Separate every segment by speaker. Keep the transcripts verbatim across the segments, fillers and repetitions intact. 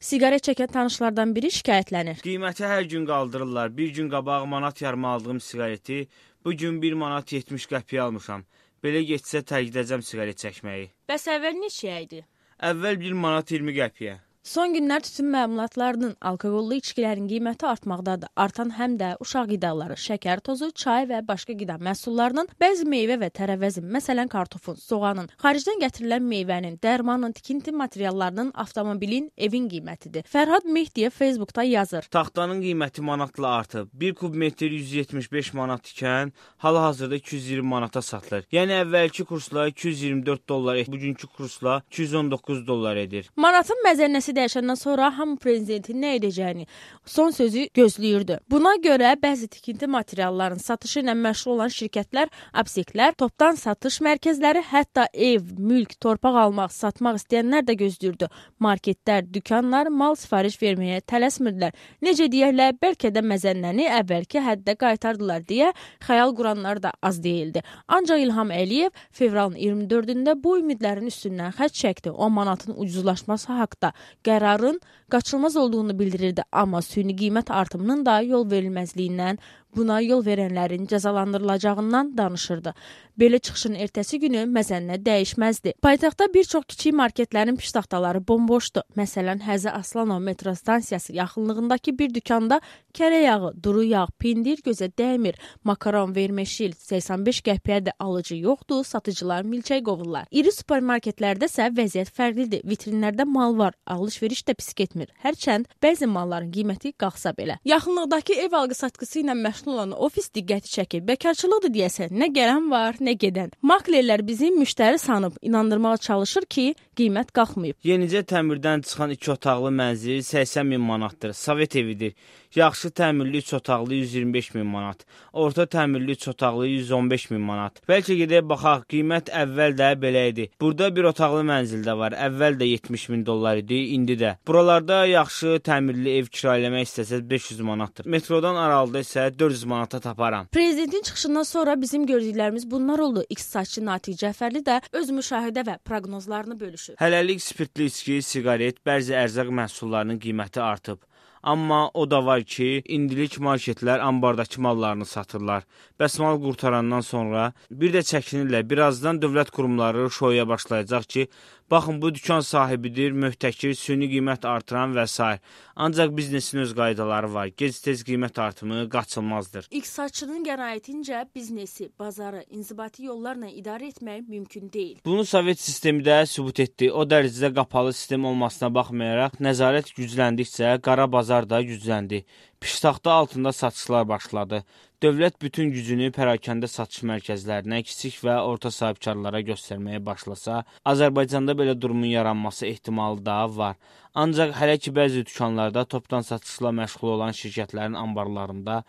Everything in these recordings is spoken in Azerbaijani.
Speaker 1: Siqaret çəkən tanışlardan biri şikayətlənir.
Speaker 2: Qiyməti hər gün qaldırırlar. Bir gün qabaq manat yarım aldığım siqareti bu gün bir manat yetmiş qəpiyə almışam. Belə getsə tərk edəcəm siqaret çəkməyi.
Speaker 1: Bəs əvvəl neçəyə idi?
Speaker 2: Əvvəl bir manat iyirmi qəpiyə.
Speaker 1: Son günlər tütün məmulatlarının alkoqollu içkilərin qiyməti artmaqdadır. Artan həm də uşaq qidaları, şəkər tozu, çay və başqa qida məhsullarının, bəzi meyvə və tərəvəzin, məsələn kartofun, soğanın, xaricdən gətirilən meyvənin, dərmanın, tikinti materiallarının, avtomobilin, evin qiymətidir. Fərhad Mehdiyev Facebookda yazır.
Speaker 2: Taxtanın qiyməti manatla artıb. bir kub metr yüz yetmiş beş manat ikən hal-hazırda iki yüz iyirmi manata satılır. Yəni əvvəlki kursla iki yüz iyirmi dörd dollar, bugünkü kursla iki yüz on doqquz dollar edir.
Speaker 1: Manatın məzənnəsi dəyişəndən sonra hamı prezidentin nə edəcəyini son sözü gözləyirdi. Buna görə bəzi tikinti materiallarının satışı ilə məşğul olan şirkətlər, apteklər, topdan satış mərkəzləri, hətta ev, mülk, torpaq almaq, satmaq istəyənlər də gözləyirdi. Marketlər, dükanlar mal sifariş verməyə tələsmirdilər. Necə deyərlər, bəlkə də məzənnəni əvvəlki həddə qaytardılar deyə xəyal quranlar da az deyildi. Ancaq İlham Əliyev fevralın iyirmi dördündə bu ümidlərin üstündən xətt çəkdi. O manatın ucuzlaşması haqda qərarın qaçılmaz olduğunu bildirirdi, amma süni qiymət artımının da yol verilməzliyindən, buna yol verənlərin cəzalandırılacağından danışırdı. Belə çıxışın ertəsi günü məzənnə dəyişməzdi. Paytaxtda bir çox kiçik marketlərin piştaxtaları bomboşdu. Məsələn, Həzi Aslanov metro stansiyası yaxınlığındakı bir dükanda kərə yağı, duru yağ, pendir gözə dəymir, makaron, vermeşil səksən beş qəpiyə də alıcı yoxdur, satıcılar milçək qovurlar. İri supermarketlərdə isə vəziyyət fərqlidir. Vitrinlərdə mal var, alış-veriş də pis getmir. Hərçənd bəzi malların qiyməti qalxsa belə. Yaxınlıqdakı ev alqı-satqısı ilə məşğul olan ofis diqqəti çəkir. Bəkarçılıqdır deyəsən, nə gələn var, nə gedən. Maklerlər bizim müştəri sanıb inandırmağa çalışır ki, qiymət qalxmayıb.
Speaker 2: Yenicə təmirdən çıxan iki otaqlı mənzil səksən min manatdır. Sovet evidir. Yaxşı təmirli üç otaqlı yüz iyirmi beş min manat. Orta təmirli üç otaqlı yüz on beş min manat. Bəlkə gedək baxaq, qiymət əvvəl də belə idi. Burada bir otaqlı mənzildə var. Əvvəl də yetmiş min dollar idi, indi də. Buralarda yaxşı təmirli ev kirayələmək istəsəz beş yüz manatdır. Metrodan aralıda isə dörd yüz manata taparam.
Speaker 1: Prezidentin çıxışından sonra bizim gördüklərimiz bunlar oldu. İqtisadçı Natiq Cəfərli də öz müşahidə və proqnozlarını bölüşür.
Speaker 2: Hələlik spirtli içki, siqaret, bəzi ərzaq məhsullarının qiyməti artıb. Amma o da var ki, indilik marketlər ambardakı mallarını satırlar. Bəs mal qurtarandan sonra bir də çəkinirlər. Birazdan dövlət qurumları şoya başlayacaq ki, baxın bu dükan sahibidir, möhtəkir, süni qiymət artıran və s. Ancaq biznesin öz qaydaları var. Gec-tez qiymət artımı qaçılmazdır.
Speaker 1: İqtisadçının qənaətincə biznesi, bazarı inzibati yollarla idarə etmək mümkün deyil.
Speaker 2: Bunu Sovet sistemi də sübut etdi. O dərəcədə qapalı sistem olmasına baxmayaraq, nəzarət gücləndikcə qara bazar da gücləndi. Piştaxta altında satışlar başladı. Dövlət bütün gücünü pərakəndə satış mərkəzlərinə, kiçik və orta sahibkarlara göstərməyə başlasa, Azərbaycanda belə durumun yaranması ehtimalı da var. Ancaq hələ ki bəzi dükanlarda topdan satışla məşğul olan şirkətlərin anbarlarında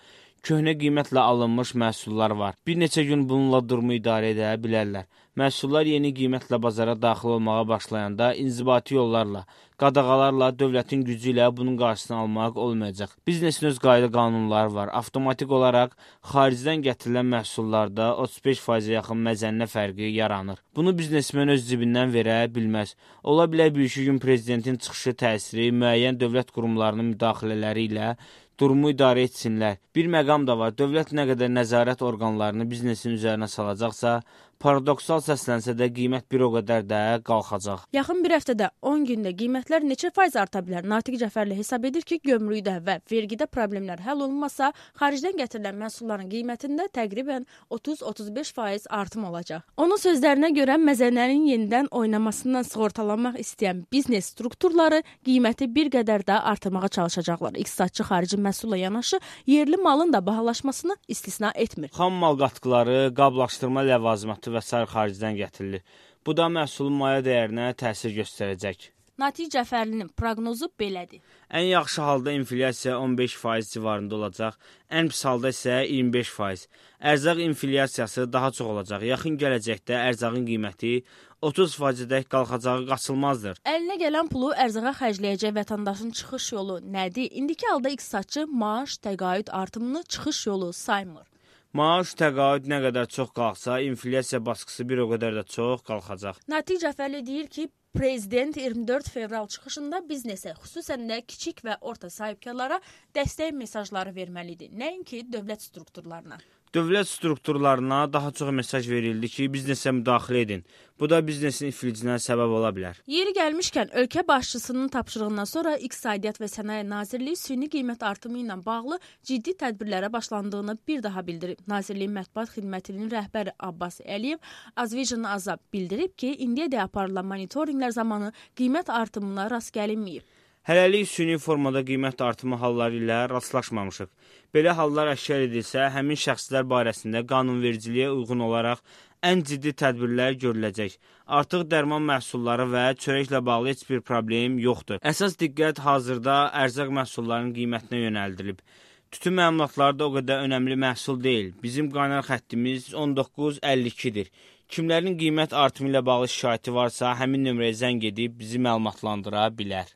Speaker 2: köhnə qiymətlə alınmış məhsullar var. Bir neçə gün bununla durumu idarə edə bilərlər. Məhsullar yeni qiymətlə bazara daxil olmağa başlayanda inzibati yollarla, qadağalarla, dövlətin gücü ilə bunun qarşısını almaq olmayacaq. Biznesin öz qayda qanunları var. Avtomatik olaraq xaricdən gətirilən məhsullarda otuz beş faizə yaxın məzənnə fərqi yaranır. Bunu biznesmen öz cibindən verə bilməz. Ola bilər bir iki gün prezidentin çıxışı təsiri müəyyən dövlət qurumlarının müdaxilələri ilə durumu idarə etsinlər. Bir məqam da var. Dövlət nə qədər nəzarət orqanlarını biznesin üzərinə salacaqsa, paradoksal səslənsə də qiymət bir o qədər də qalxacaq.
Speaker 1: Yaxın bir həftədə on gündə qiymətlər neçə faiz arta bilər? Natiq Cəfərli hesab edir ki, gömrükdə və vergidə problemlər həll olunmasa, xaricdən gətirilən məhsulların qiymətində təqribən otuz otuz beş faiz artım olacaq. Onun sözlərinə görə məzənnənin yenidən oynamasından sığortalanmaq istəyən biznes strukturları qiyməti bir qədər də artırmağa çalışacaqlar. İqtisadçı xarici məhsulla yanaşı yerli malın da bahalaşmasını istisna etmir.
Speaker 2: Xam mal qatqıları, qablaşdırma ləvazimatı və sair xaricdən gətirilir. Bu da məhsulun maya dəyərinə təsir göstərəcək.
Speaker 1: Natiq Cəfərlinin proqnozu belədir.
Speaker 2: Ən yaxşı halda inflyasiya on beş faiz civarında olacaq, ən pis halda isə iyirmi beş faiz. Ərzaq inflyasiyası daha çox olacaq. Yaxın gələcəkdə ərzağın qiyməti otuz faizədək qalxacağı qaçılmazdır.
Speaker 1: Əlinə gələn pulu ərzağa xərcləyəcək vətəndaşın çıxış yolu nədir? İndiki halda iqtisadçı maaş, təqaüd artımını çıxış yolu saymır.
Speaker 2: Maaş, təqaüd nə qədər çox qalxsa, inflyasiya baskısı bir o qədər də çox qalxacaq.
Speaker 1: Natiq Cəfərli deyir ki, Prezident iyirmi dörd fevral çıxışında biznesə, xüsusən də kiçik və orta sahibkarlara dəstək mesajları verməlidir, nəinki dövlət strukturlarına.
Speaker 2: Dövlət strukturlarına daha çox mesaj verildi ki, biznesə müdaxilə edin. Bu da biznesin iflicinə səbəb ola bilər.
Speaker 1: Yeri gəlmişkən, ölkə başçısının tapşırığından sonra İqtisadiyyat və Sənaye Nazirliyi süni qiymət artımı ilə bağlı ciddi tədbirlərə başlandığını bir daha bildirib. Nazirliyin mətbuat xidmətinin rəhbəri Abbas Əliyev Azvision Azab bildirib ki, indiyədək aparılan monitorinqlər zamanı qiymət artımına rast gəlinməyib.
Speaker 2: Hələlik süni formada qiymət artımı halları ilə rastlaşmamışıq. Belə hallar əşkar edilsə, həmin şəxslər barəsində qanunvericiliyə uyğun olaraq ən ciddi tədbirlər görüləcək. Artıq dərman məhsulları və çörəklə bağlı heç bir problem yoxdur. Əsas diqqət hazırda ərzaq məhsullarının qiymətinə yönəldilib. Tütün məmulatları da o qədər önəmli məhsul deyil. Bizim qaynar xəttimiz on doqquz əlli ikidir. Kimlərin qiymət artımı ilə bağlı şikayəti varsa, həmin nömrəyə zəng edib bizi məlumatlandıra bilər.